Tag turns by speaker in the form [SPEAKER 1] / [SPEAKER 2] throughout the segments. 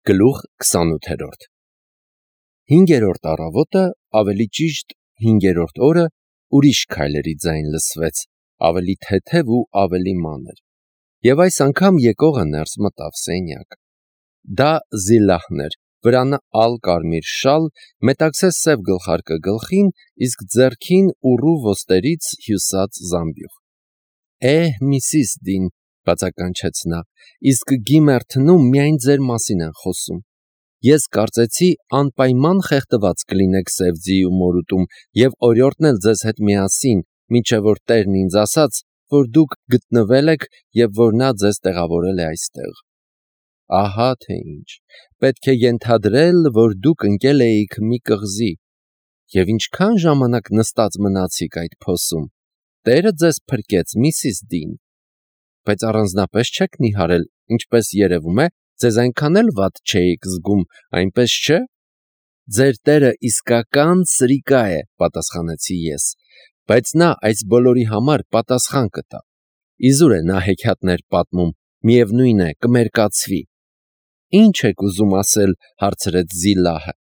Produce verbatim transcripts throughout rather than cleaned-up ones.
[SPEAKER 1] Գլուխ քսանութ Հինգերորդ առավոտը, ավելի ճիշտ հինգերորդ օրը, ուրիշ քայլերի ձայն լսվեց, ավելի թեթև ու ավելի մանր, և այս անգամ եկողը ներս մտավ սենյակ: Դա Զիլլահն էր, վրանը ալ կարմիր շալ, մետաքսե սև գլխարկը գլխին, իսկ ձեռքին ուռու ոստերից հյուսած զամբյուղ: Է՛հ, Միսիս Դին, բացականչեց նա, իսկ Գիմերթնում միայն ձեր մասին են խոսում: Ես կարծեցի անպայման խեղդված կլինեք Սևձիի մորուտում և օրիորդն էլ ձեզ հետ միասին, մինչև որ տերն ինձ ասաց, որ դուք գտնվել եք և որ նա ձեզ տեղավորել է այստեղ: Ահա թե ինչ, պետք է ենթադրել, որ դուք ընկել էիք մի կղզի: Եվ ինչքա՞ն ժամանակ նստած մնացիք այդ փոսում: Տերը ձեզ փրկեց, Միսիս Դին: Բայց առանձնապես չեք նիհարել, ինչպես երևում է, ձեզ այնքան էլ վատ չէիք զգում, այնպես չէ՞: Ձեր տերը իսկական սրիկա է, պատասխանեցի ես, բայց նա այս բոլորի համար պատասխան կտա: Իզուր է նա հեքիաթներ պատմում, միևնույն է, կմերկացվի: Ի՞նչ եք ուզում ասել, հարցրեց Զիլլահը: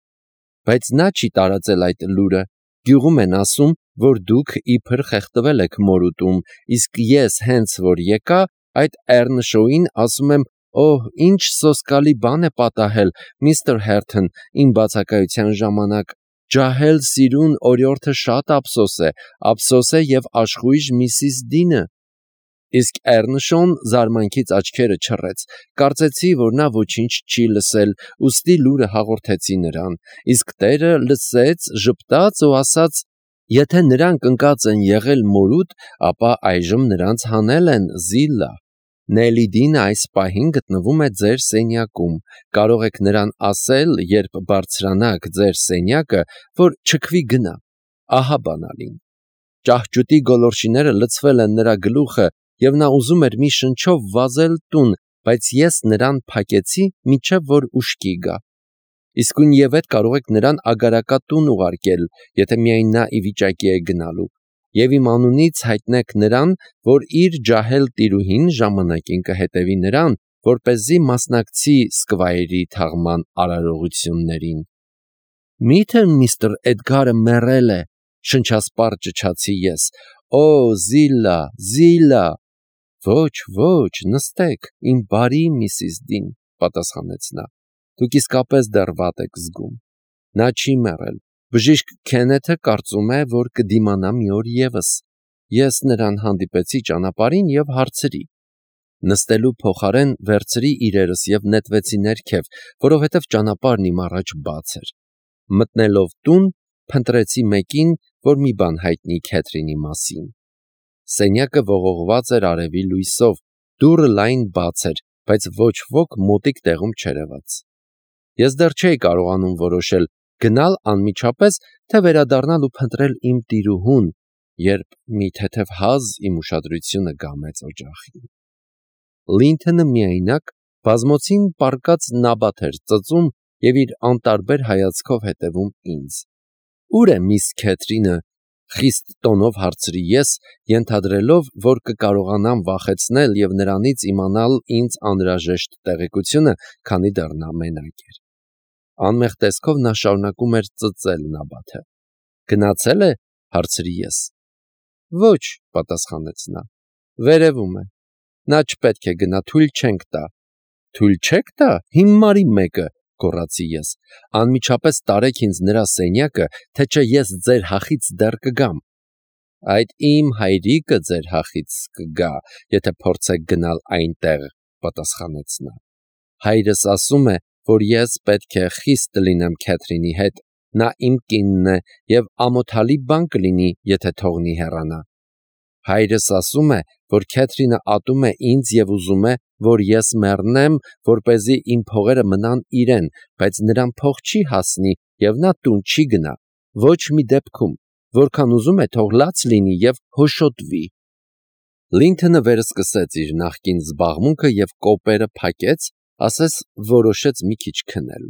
[SPEAKER 1] Բայց նա չի տարածել այդ լուրը: Գյուղում են ասում, որ դուք իբր խեղդվել եք մորուտում, իսկ ես հենց որ եկա, այդ Էռնշոուին ասում եմ, օհ, ինչ սոսկալի բան է պատահել, միստր Հերթն, իմ բացակայության ժամանակ: Ջահել սիրուն օրիորդը շատ ափսոս է, ափսոս է և աշխույժ Միսիս Դինը: Իսկ Էռնշոուն զարմանքից աչքերը չռեց: Կարծեցի, որ նա ոչինչ չի լսել, ուստի լուրը հաղորդեցի նրան: Իսկ տերը լսեց, ժպտաց ու ասաց. Եթե նրանք ընկած են եղել մորուտ, ապա այժմ նրանց հանել են, Զիլլահ: Նելիդինը այս պահին գտնվում է ձեր սենյակում: Կարող եք նրան ասել, երբ բարձրանաք ձեր սենյակը, որ չքվի գնա: Ահա բանալին: Ճահճուտի գոլորշիները լցվել են նրա գլուխը և նա ուզում էր մի շնչով վազել տուն, բայց ես նրան փակեցի, մինչև որ ուշքի գա: Իսկույնևեթ կարող եք նրան ագարակատուն ուղարկել, եթե միայն նա ի վիճակի է գնալու: Եվ իմ անունից հայտնեք նրան, որ իր ջահել տիրուհին ժամանակին կհետևի նրան, որպեսզի մասնակցի Սկվայրի թաղման արարողություններին: Մի՞թե միստր Էդգարը մեռել է, շնչասպառ ճչացի ես: Օ, Զիլլա, Զիլլա: Ոչ, ոչ, նստեք, իմ բարի Միսիս Դին, պատասխանեց նա: Դուք իսկապես դեռ վատ եք զգում: Նա չի մեռել: Բժիշկ Քենեթը կարծում է, որ կդիմանա մի օր ևս: Ես նրան հանդիպեցի ճանապարհին և հարցրի: Նստելու փոխարեն վերցրի իրերս և նետվեցի ներքև, որովհետև ճանապարհն իմ առաջ բաց էր: Մտնելով տուն, փնտրեցի մեկին, որ մի բան հայտնի Քեթրինի մասին: Սենյակը ողողված էր արևի լույսով, դուռը լայն բաց էր, բայց ոչ ոք մոտիկ տեղում չերևաց: Ես դեռ չէի կարողանում որոշել գնալ անմիջապես, թե վերադառնալ ու փնտրել իմ տիրուհուն, երբ մի թեթև հազ իմ ուշադրությունը գամեց օջախին: Լինթոնը միայնակ, բազմոցին պառկած նաբաթ էր ծծում և իր անտարբեր հայացքով հետևում ինձ: Ո՞ւր է միս Քեթրինը, խիստ տոնով հարցրի ես, ենթադրելով, որ կկարողանամ վախեցնել և նրանից իմանալ ինձ անհրաժեշտ տեղեկությունը, քանի դեռ նա մենակ էր: Անմեղ տեսքով նա շարունակում էր ծծել նաբաթը: Գնացե՞լ է, հարցրի ես: Ոչ, պատասխանեց նա, վերևում է: Նա չպետք է գնա, թույլ չենք տա: Թույլ չե՞ք տա, հիմարի մեկը, գոռացի ես: Անմիջապես տարեք ինձ նրա սենյակը, թե չէ ես ձեր հախից դեռ կգամ: Այդ իմ հայրիկը ձեր հախից կգա, եթե փորձեք գնալ այնտեղ, պատասխանեց նա: Հայրս ասում է, որ ես պետք է խիստ լինեմ Քեթրինի հետ, նա իմ կինն է և ամոթալի բան կլինի, եթե թողնի հեռանա: Հայրս ասում է, որ Քեթրինը ատում է ինձ և ուզում է, որ ես մեռնեմ, որպեսզի իմ փողերը մնան իրեն, բայց նրան փող չի հասնի և նա տուն չի գնա, ոչ մի դեպքում, որքան ուզում է թող լաց լինի և հոշոտվի: Լինթոնը վերսկսեց իր նախկին զբաղմունքը և կոպերը փակեց, ասես որոշեց մի քիչ քնել: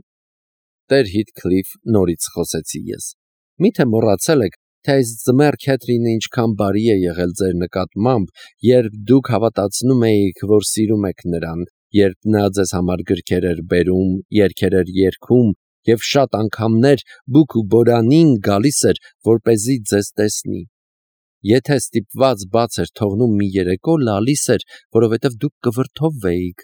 [SPEAKER 1] Տեր Հիթքլիֆ, նորից խոսեցի ես, մի՞թե մոռացել եք, թե այս ձմեռ Քեթրինը ինչքան բարի է եղել ձեր նկատմամբ, երբ դուք հավատացնում էիք, որ սիրում եք նրան երբ նա ձեզ համար գրքեր էր բերում, երգեր էր երգում և շատ անգամներ բուք ու բորանին գալիս էր, որպեսզի ձեզ տեսնի։ Եթե ստիպված բաց էր թողնում մի երեկո, լալիս էր, որովհետև դուք կվրդովվեիք։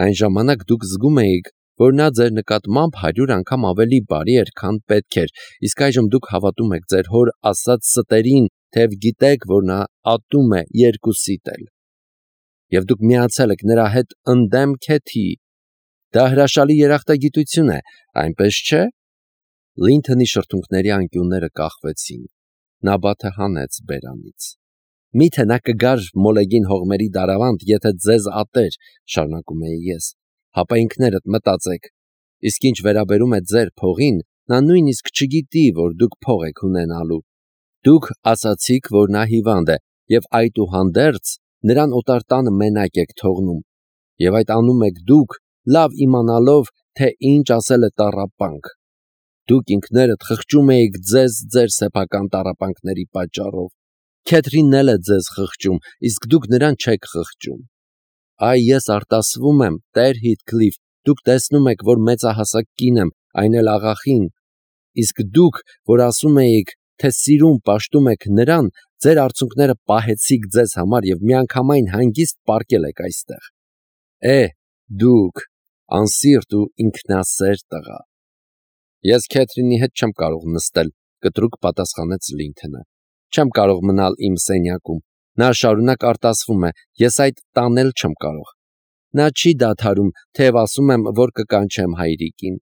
[SPEAKER 1] Այն ժամանակ դուք զգում էիք, որ նա ձեր նկատմամբ հարյուր անգամ ավելի բարի էր, քան պետք էր, իսկ այժմ դուք հավատում եք ձեր հոր ասած ստերին, թեև գիտեք, որ նա ատում է երկուսիդ էլ։ Եվ դուք միացել եք նրա հետ ընդդեմ քեթի։ Դա հրաշալի երախտագիտություն է, այնպես չէ՞։ Լինթոնի շրթունքների անկյունները կախվեցին։ Նա բաթը հանեց բերանից։ Միթե նա կգար մոլեգին հողմերի դարավանդ, եթե ձեզ ատեր, շարունակում էի ես, հապա ինքներդ մտածեք, իսկ ինչ վերաբերում է ձեր փողին, նա նույնիսկ չգիտի, որ դուք փող եք ունենալու։ Դուք ասացիք, որ նա հիվանդ է, և այդուհանդերձ նրան օտար տանը մենակ եք թողնում, և այդ անում եք դուք, լավ իմանալով, թե ինչ ասել է տառապանք։ Դուք ինքներդ խղճում էիք ձեզ ձեր սեփական տառապանքների պատճառով։ Քեթրինն էլ է ձեզ խղճում, իսկ դուք նրան չեք խղճում։ Այ ես արտասվում եմ, Տեր Հիթքլիֆ, դուք տեսնում եք, որ մեծահասակ կին եմ, այն էլ աղախին, իսկ դուք, որ ասում էիք, թե սիրում պաշտում եք նրան, ձեր արցունքները պահեցիք ձեզ համար և միանգամայն հանգիստ պառկել եք այստեղ։ Է, դուք, անսիրտ ու ինքնասեր տղա։ Ես Քեթրինի հետ չեմ կարող նստել, կտրուկ պատասխանեց Լինթոնը։ Չեմ կարող մնալ իմ սենյակում։ Նա շարունակ արտասվում է, ես այդ տանել չեմ կարող։ Նա չի դադարում, թեև ասում եմ, որ կկանչեմ հայրիկին։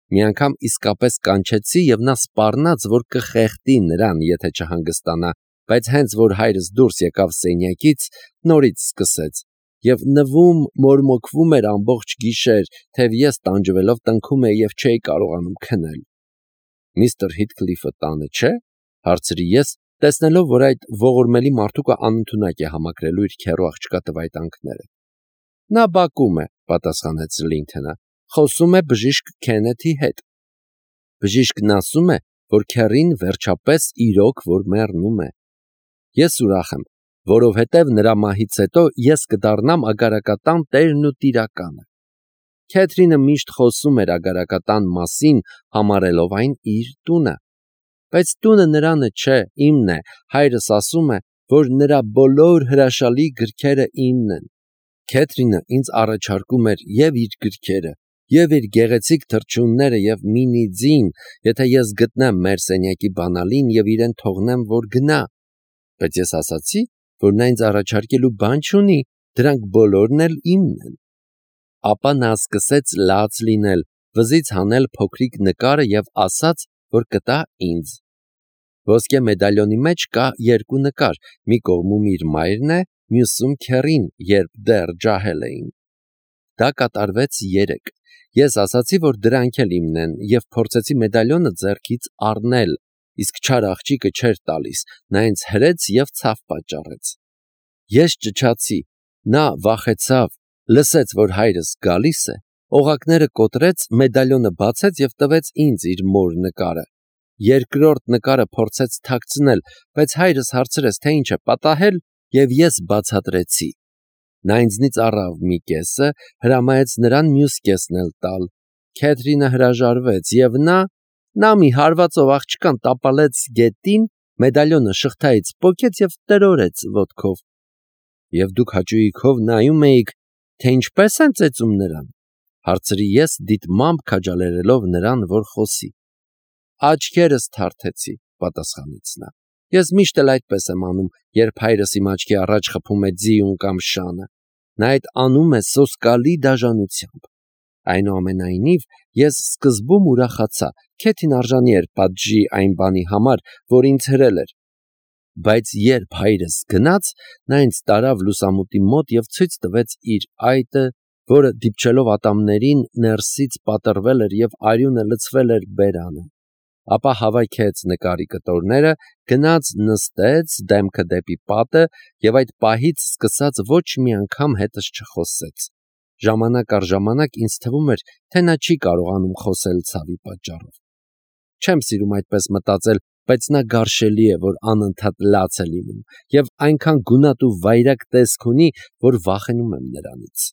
[SPEAKER 1] Մի անգամ իսկապես կանչեցի և նա սպառնաց, որ կխեղդի նրան, եթե չհանգստանա, բայց հենց որ հայրս դուրս եկավ սենյակից, նորից սկսեց և նվում, մորմոքվում էր ամբողջ գիշեր, թեև ես տանջվելով տնքում էի և չէի կարողանում քնել։ Միստր Հիթքլիֆը տանը չէ՞, հարցրի ես, տեսնելով, որ այդ ողորմելի մարդուկը անընդունակ է համակրելու իր քեռու աղջկա տվայտանքները։ Նա բակում է, պատասխանեց Լինթոնը, խոսում է բժիշկ Քենեթի հետ։ Բժիշկն ասում է, որ քեռին վերջապես իրոք որ մեռնում է։ Ես ուրախ եմ, որովհետև նրա մահից հետո ես կդառնամ ագարակատան տերն ու տիրականը։ Քեթրինը միշտ խոսում էր ագարակատան մասին, համարելով այն իր տունը։ Բայց տունը նրանը չէ, իմն է, հայրս ասում է, որ նրա բոլոր հրաշալի գրքերը իմն են։ Քեթրինը ինձ առաջարկում էր և իր գրքերը, և իր գեղեցիկ թռչունները և մինի ձին, եթե ես գտնեմ մեր սենյակի բանալին և իրեն թողնեմ, որ գնա։ Բայց ես ասացի, որ նա ինձ առաջարկելու բան չունի, դրանք բոլորն էլ իմն են։ Ապա նա սկսեց լաց լինել, վզից հանել փոքրիկ նկարը և ասաց, որ կտա ինձ։ Ոսկե մեդալյոնի մեջ կա երկու նկար, մի կողմում իր մայրն է, մյուսում քեռին, երբ դեռ ջահել էին։ Դա կատարվեց երեկ։ Ես ասացի, որ դրանք էլ իմն են, և փորձեցի մեդալյոնը ձեռքից առնել, իսկ չար աղջիկը չէր տալիս, նա ինձ հրեց և ցավ պատճառեց։ Ես ճչացի, նա վախեցավ, լսեց, որ հայրս գալիս է, օղակները կոտրեց, մեդալյոնը բացեց և տվեց ինձ իր մոր նկարը։ Երկրորդ նկարը փորձեց թաքցնել, բայց հայրս հարցրեց, թե ինչ է պատահել, և ես բացատրեցի։ Նա ինձնից առավ մի կեսը, հրամայեց նրան մյուս կեսն էլ տալ։ Քեթրինը հրաժարվեց, և նա, նա մի հարվածով աղջկան տապալեց գետին, մեդալյոնը շղթայից պոկեց և տրորեց ոտքով։ Եվ դուք հաճույքով նայում էիք, թե ինչպես են ծեծում նրան, հարցրի ես, դիտմամբ քաջալերելով նրան, որ խոսի։ Աչքերս թարթեցի, պատասխանեց նա։ Ես միշտ էլ այդպես եմ անում, երբ հայրս իմ աչքի առաջ խփում է ձիուն կամ շանը։ Նա այդ անում է սոսկալի դաժանությամբ։ Այնուամենայնիվ, ես սկզբում ուրախացա, Քեթին արժանի էր պատժի այն բանի համար, որ ինձ հրել էր։ Բայց երբ հայրս գնաց, նա ինձ տարավ լուսամուտի մոտ և ցույց տվեց իր այտը, որը դիպչելով ատամներին ներսից պատռվել էր և արյունը լցվել էր բերանը։ Ապա հավաքեց նկարի կտորները, գնաց նստեց, դեմքը դեպի պատը և այդ պահից սկսած ոչ մի անգամ հետս չխոսեց։ Ժամանակ առ ժամանակ ինձ թվում էր, թե նա չի կարողանում խոսել ցավի պատճառով։ Չեմ սիրում այդպես մտածել, բայց նա գարշելի է, որ անընդհատ լաց է լինում և այնքան գունատ ու վայրագ տեսք ունի, որ վախենում եմ նրանից։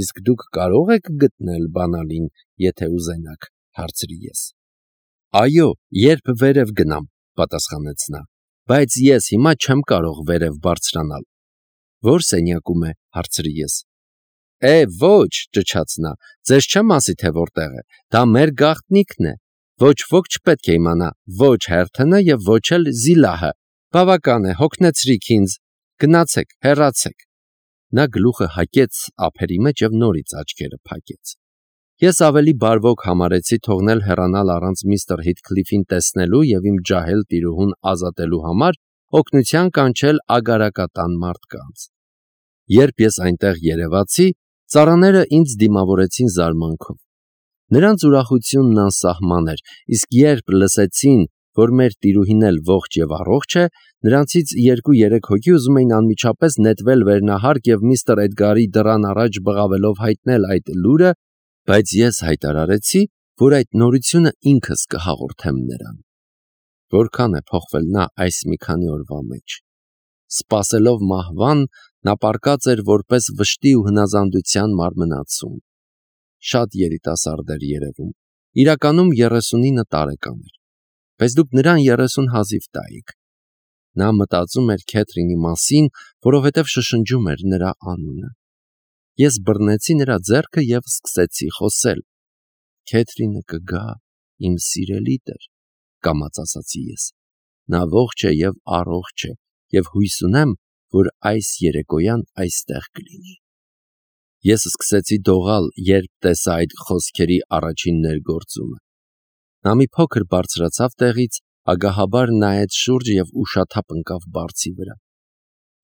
[SPEAKER 1] իսկ դուք կարող եք գտնել բանալին, եթե ուզենաք, հարցրի ես։ Այո, երբ վերև գնամ, պատասխանեց նա, բայց ես հիմա չեմ կարող վերև բարձրանալ։ Ո՞ր սենյակում է, հարցրի ես։ Է, ոչ, ճչաց նա, ձեզ չեմ ասի, թե որտեղ է, դա մեր գաղտնիքն է, ոչ ոք չպետք է իմանա, ոչ Հերթոնը և ոչ էլ Զիլահը, բավական է, հոգնեցրիք ինձ, գնացեք, հեռացեք։ Նա գլուխը հագեց ափերի մեջ և նորից աչքերը փակեց։ Ես ավելի բարվոք համարեցի թողնել հեռանալ առանց միստր Հիթքլիֆին տեսնելու և իմ ջահել տիրուհուն ազատելու համար օգնության կանչել ագարակատան մարդկանց։ Երբ ես այնտեղ երևացի, ծառաները ինձ դիմավորեցին զարմանքով։ Նրանց ուրախությունն անսահման էր, իսկ երբ լսեցին, որ մեր տիրուհին էլ ողջ և առողջ է, նրանցից երկու-երեք հոգի ուզում էին անմիջապես նետվել վերնահարկ և միստր Էդգարի դռան առաջ բղավելով հայտնել այդ լուրը, բայց ես հայտարարեցի, որ այդ նորությունը ինքս կհաղորդեմ նրան։ Որքան է փոխվել նա այս մի քանի օրվա մեջ։ Սպասելով մահվան, նա պառկած էր որպես վշտի ու հնազանդության մարմնացում։ Շատ երիտասարդ էր երևում, իրականում երեսունինը տարեկան էր, բայց դուք նրան երեսուն հազիվ տայիք։ Նա մտածում էր Քեթրինի մասին, որովհետև շշնջում էր նրա անունը։ Ես բռնեցի նրա ձեռքը և սկսեցի խոսել։ Քեթրինը կգա, իմ սիրելի տեր, կամաց ասացի ես։ Նա ողջ է և առողջ է, և հույս ունեմ, որ այս երեկոյան այստեղ կլինի։ Ես սկսեցի դողալ, երբ տեսա այդ խոսքերի առաջին ներգործումը։ Նա մի փոքր բարձրացավ տեղից, ագահաբար նայեց շուրջը և ուշաթափ ընկավ բարձի վրա։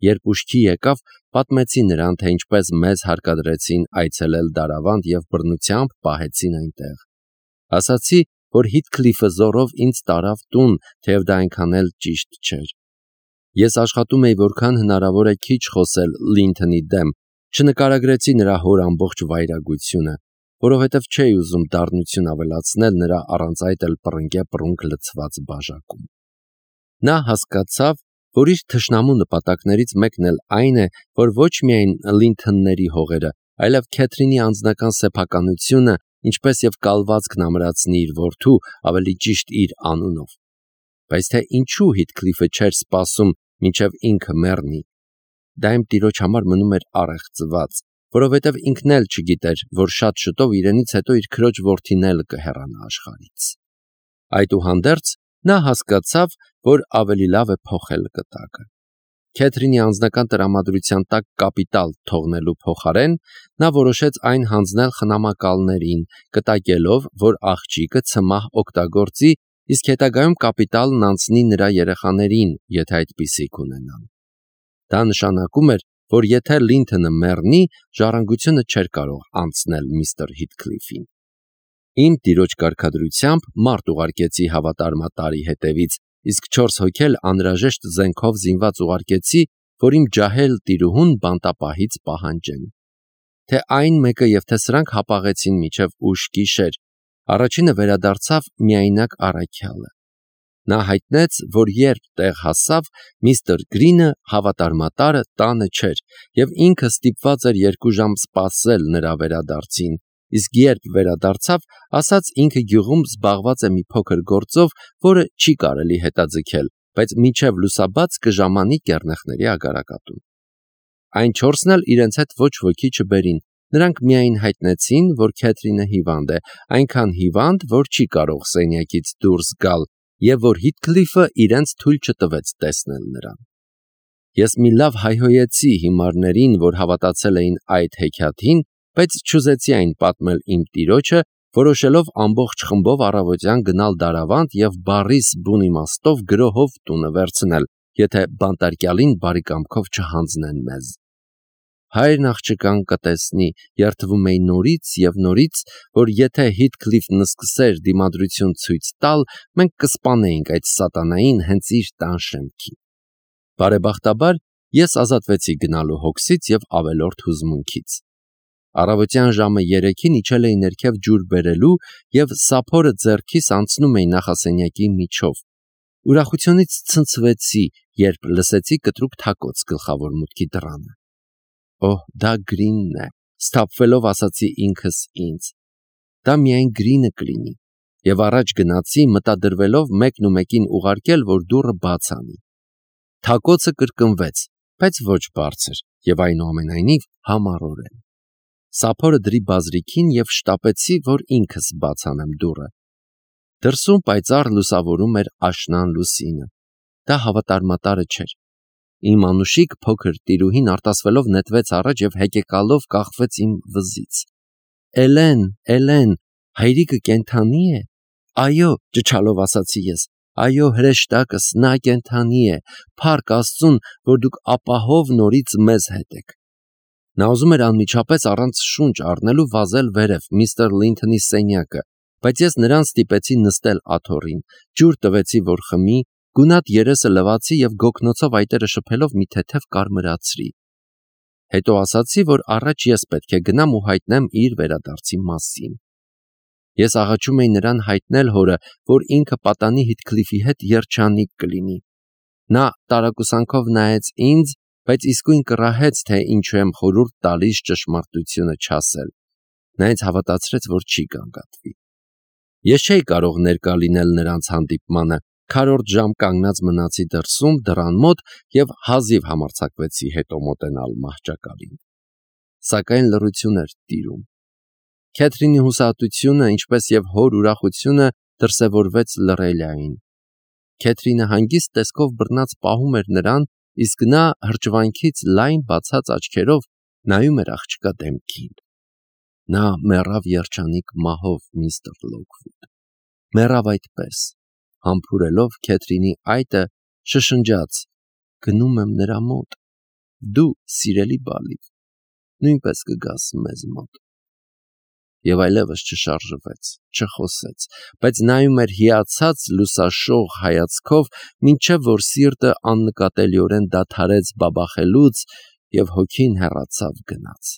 [SPEAKER 1] Երբ ուշքի եկավ, պատմեցի նրան, թե ինչպես մեզ հարկադրեցին այցելել Դարավանդ և բռնությամբ պահեցին այնտեղ։ Ասացի, որ Հիթքլիֆը զոռով ինձ տարավ տուն, թեև դա այնքան էլ ճիշտ չէր։ Ես աշխատում էի որքան հնարավոր է քիչ խոսել Լինթոնի դեմ, չնկարագրեցի նրա հոր ամբողջ վայրագությունը, որովհետև չէի ուզում դառնություն ավելացնել նրա առանց այդ էլ պռնկե-պռունկ լցված բաժակում։ Նա հասկացավ, որ իր թշնամու նպատակներից մեկն էլ այն է, որ ոչ միայն Լինթոնների հողերը, այլև Քեթրինի անձնական սեփականությունը, ինչպես և կալվածքն ամրացնի իր որդու, ավելի ճիշտ իր անունով։ Բայց թե ինչու Հիթքլիֆը չէր սպասում, մինչև ինքը մեռնի, դա իմ տիրոջ համար մնում էր առեղծված, որովհետև ինքն էլ չգիտեր, որ շատ շուտով իրենից հետո իր քրոջ որդին էլ կհեռանա աշխարհից։ Այդուհանդերձ, նա հասկացավ, որ ավելի լավ է փոխել կտակը։ Քեթրինի անձնական տրամադրության տակ կապիտալ թողնելու փոխարեն, նա որոշեց այն հանձնել խնամակալներին, կտակելով, որ աղջիկը ցմահ օգտագործի, իսկ հետագայում կապիտալն անցնի նրա երեխաներին, եթե այդպիսիք ունենան։ Դա նշանակում էր, որ եթե Լինթոնը մեռնի, ժառանգությունը չէր կարող անցնել միստր Հիթքլիֆին։ Իմ տիրոջ կարգադրությամբ մարդ ուղարկեցի հավատարմատարի հետևից, իսկ չորս հոգի էլ անհրաժեշտ զենքով զինված ուղարկեցի, որ իմ ջահել տիրուհուն բանտապահից պահանջեն։ Թե այն մեկը և թե սրանք հապաղեցին մինչև ուշ գիշեր, առաջինը վերադարձավ միայնակ առաքյալը։ Նա հայտնեց, որ երբ տեղ հասավ, միստր Գրինը հավատարմատարը տանը չէր, և ինքը ստիպված էր երկու ժամ սպասել նրա վերադարձին, իսկ երբ վերադարձավ, ասաց ինքը գյուղում զբաղված է մի փոքր գործով, որը չի կարելի հետաձգել, բայց մինչև լուսաբաց կժամանի կեռնեխների ագարակատուն։ Այն չորսն էլ իրենց հետ ոչ ոքի չբերին, նրանք միայն հայտնեցին, որ Քեթրինը հիվանդ է, այնքան հիվանդ, որ չի կարող սենյակից դուրս գալ, և որ Հիթքլիֆը իրենց թույլ չտվեց տեսնել նրան։ Ես մի լավ հայհոյեցի հիմարներին, որ հավատացել էին այդ հեքիաթին, բայց չուզեցի այն պատմել իմ տիրոջը, որոշելով ամբողջ խմբով առավոտյան գնալ Դարավանդ և բառիս բուն իմաստով գրոհով տունը վերցնել, եթե բանտարկյալին բարի կամքով չհանձնեն մեզ։ Հայրն աղջկան կտեսնի, երդվում էի նորից և նորից, որ եթե Հիթքլիֆն սկսեր դիմադրություն ցույց տալ, մենք կսպանեինք այդ սատանային հենց իր տան շեմքին։ Բարեբախտաբար, ես ազատվեցի գնալու հոգսից և ավելորդ հուզմունքից։ Առավոտյան ժամը երեքին իջել էի ներքև ջուր բերելու և սափորը ձեռքիս անցնում էի նախասենյակի միջով։ Ուրախությունից ցնցվեցի, երբ լսեցի կտրուկ թակոց գլխավոր մուտքի դռանը։ Օհ, դա Գրինն է, Սթափվելով ասացի ինքս ինձ. դա միայն Գրինը կլինի, եւ առաջ գնացի մտադրվելով մեկն ու մեկին ուղարկել, որ դուռը բաց անի։ Թակոցը կրկնվեց, բայց ոչ բարձր եւ այնուամենայնիվ համառորեն։ Սափորը դրի բազրիքին եւ շտապեցի, որ ինքս բաց անեմ դուռը։ Դրսում պայծառ լուսավորում էր աշնան լուսինը։ Դա հավատարմատարը չէր։ Իմ անուշիկ փոքր տիրուհին արտասվելով նետվեց առաջ եւ հեկեկալով կախվեց իմ վզից։ Էլեն, Էլեն, հայրիկը կենդանի է։ Այո, ճչալով ասացի ես։ Այո, հրեշտակս, նա կենդանի է։ Փառք Աստծուն, որ դուք ապահով նորից մեզ հետ եք։ Նա ուզում էր անմիջապես առանց շունչ առնելու վազել վերև միստր Լինթոնի սենյակը, բայց ես նրան ստիպեցի նստել աթոռին, ջուր տվեցի, որ խմի, գունատ երեսը լվացի եւ գոգնոցով այտերը շփելով մի թեթև կարմրացրի։ Հետո ասացի, որ առաջ ես պետք է գնամ ու հայտնեմ իր վերադարձի մասին։ Ես աղաչում էի նրան հայտնել հորը, որ ինքը պատանի Հիթքլիֆի հետ երջանիկ կլինի։ Նա տարակուսանքով նայեց ինձ, բայց իսկույն կռահեց, թե ինչու եմ խորհուրդ տալիս ճշմարտությունը չասել։ Նա ինձ հավատացրեց, որ չի կանգատվի։ Ես չէի կարող ներկա լինել նրանց հանդիպմանը, քառորդ ժամ կանգնած մնացի դրսում դռան մոտ եւ հազիվ համարձակվեցի հետո մոտենալ մահճակալին։ Սակայն լռություն էր տիրում։ Քեթրինի հուսահատությունը, ինչպես եւ հոր ուրախությունը դրսևորվեց լռելիային։ Քեթրինը հանգիստ տեսքով բռնած պահում էր նրան, իսկ նա հրճվանքից լայն բացած աչքերով նայում էր աղջկա դեմքին։ Նա մեռավ երջանիկ մահով, միստր Լոքվուդ։ Մեռավ այդպես, համբուրելով Քեթրինի այտը, շշնջաց. գնում եմ նրա մոտ։ Դու, սիրելի բալիկ, նույնպես կգաս մեզ մոտ։ Եվ այլևս չշարժվեց, չխոսեց, բայց նայում էր հիացած լուսաշող հայացքով, մինչև որ սիրտը աննկատելիորեն դադարեց բաբախելուց եւ հոգին հեռացավ գնաց։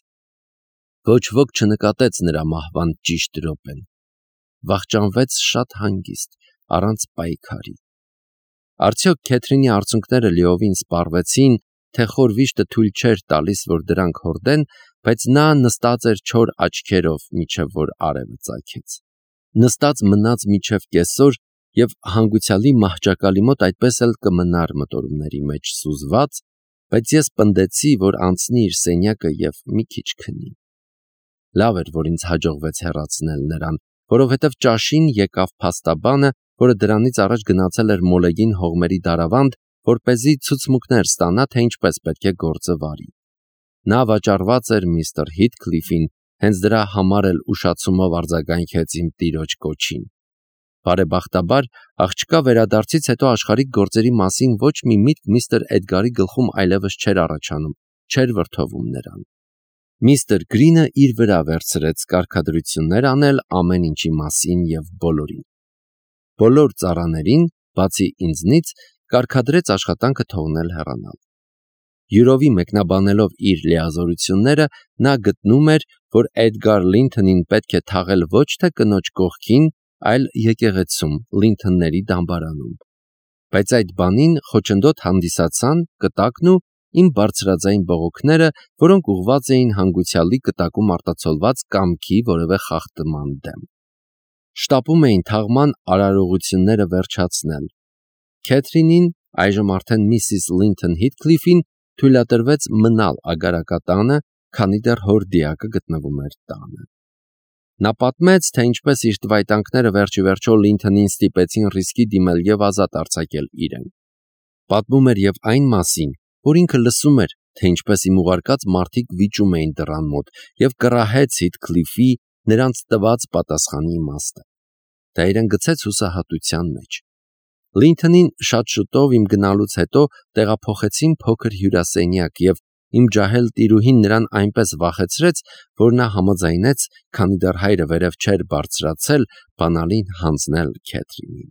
[SPEAKER 1] Ոչ ոք չնկատեց նրա մահվան ճիշտ րոպեն։ Վախճանվեց շատ հանգիստ, առանց պայքարի։ Արդյոք Քեթրինի արցունքները լիովին սպառվեցին, թե խոր վիշտը թույլ չէր տալիս, որ դրանք հորդեն, բայց նա նստած էր չոր աչքերով, մինչև որ արևը ծագեց։ Նստած մնաց մինչև կեսօր եւ հանգուցյալի մահճակալի մոտ այդպես էլ կմնար մտորումների մեջ սուզված, բայց ես պնդեցի, որ անցնի իր սենյակը եւ մի քիչ քնի։ Լավ էր, որ ինձ հաջողվեց հեռացնել նրան, որովհետև ճաշին եկավ փաստաբանը, որը դրանից առաջ գնացել էր մոլեգին հողմերի դարավանդ, որպեսզի ցուցմունքներ ստանա, թե ինչպես պետք է գործը վարի։ Նա վաճառված էր միստր Հիթքլիֆին, հենց դրա համար էլ ուշացումով արձագանքեց իմ տիրոջ կոչին։ Բարեբախտաբար, աղջկա վերադարձից հետո աշխարհիկ գործերի մասին ոչ մի միտք միստր Էդգարի գլխում այլևս չէր առաջանում, չէր վրդովում նրան։ Միստր Գրինը իր վրա վերցրեց կարգադրություններ անել ամեն ինչի մասին եւ բոլորին։ Բոլոր ծառաներին, բացի ինձնից, կարգադրեց աշխատանքը թողնել հեռանալ։ Յուրովի մեկնաբանելով իր լիազորությունները, նա գտնում էր, որ Էդգար Լինթոնին պետք է թաղել ոչ թե կնոջ կողքին, այլ եկեղեցում, Լինթոնների դամբարանում։ Բայց այդ բանին խոչընդոտ հանդիսացան կտակն ու իմ բարձրաձայն բողոքները, որոնք ուղղված էին հանգուցյալի կտակում արտացոլված կամքի որևէ խախտման դեմ։ Շտապում էին թաղման արարողությունները վերջացնել։ Քեթրինին, այժմ արդեն միսիս Լինթոն Հիթքլիֆին, թույլատրվեց մնալ ագարակատանը, քանի դեռ հոր դիակը գտնվում էր տանը։ Նա պատմեց, թե ինչպես իր տվայտանքները վերջիվերջո Լինթոնին ստիպեցին ռիսկի դիմել եւ ազատ արձակել իրեն։ Պատմում էր եւ այն մասին, որ ինքը լսում էր, թե ինչպես իմ ուղարկած մարդիկ վիճում էին դռան մոտ եւ կռահեց Հիթքլիֆի նրանց տված պատասխանի իմաստը։ Դա իրեն գցեց հուսահատության մեջ։ Լինթոնին շատ շուտով իմ գնալուց հետո տեղափոխեցին փոքր հյուրասենյակ եւ իմ ջահել տիրուհին նրան այնպես վախեցրեց, որ նա համաձայնեց, քանի դեռ հայրը վերև չէր բարձրացել, բանալին հանձնել Քեթրինին։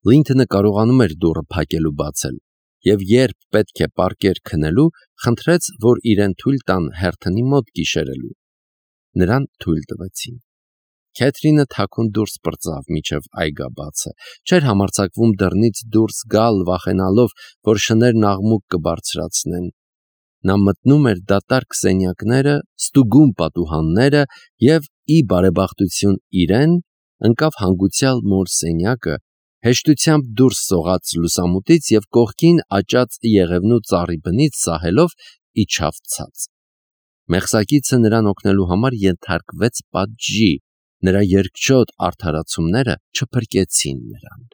[SPEAKER 1] Լինթոնը կարողանում էր դուռը փակել ու բացել, եւ երբ պետք է պառկեր քնելու, խնդրեց, որ իրեն թույլ տան հերթնի մոտ գիշերելու։ Նրան թույլ տվեցին։ Քեթրինը թաքուն դուրս պրծավ միջև այգաբացը, չէր համարձակվում դռնից դուրս գալ, վախենալով, որ շներն աղմուկ կբարձրացնեն։ Նա մտնում էր դատարկ սենյակները, ստուգում պատուհանները և, ի բարեբախտություն իրեն, ընկավ հանգուցյալ մոր սենյակը, հեշտությամբ դուրս սողաց լուսամուտից և կողքին աճած եղևնու ծառի բնից սահելով իջավ ցած: Մեղսակիցը նրան օգնելու համար ենթարկվեց պատժի, նրա երկչոտ արդարացումները չփրկեցին նրան: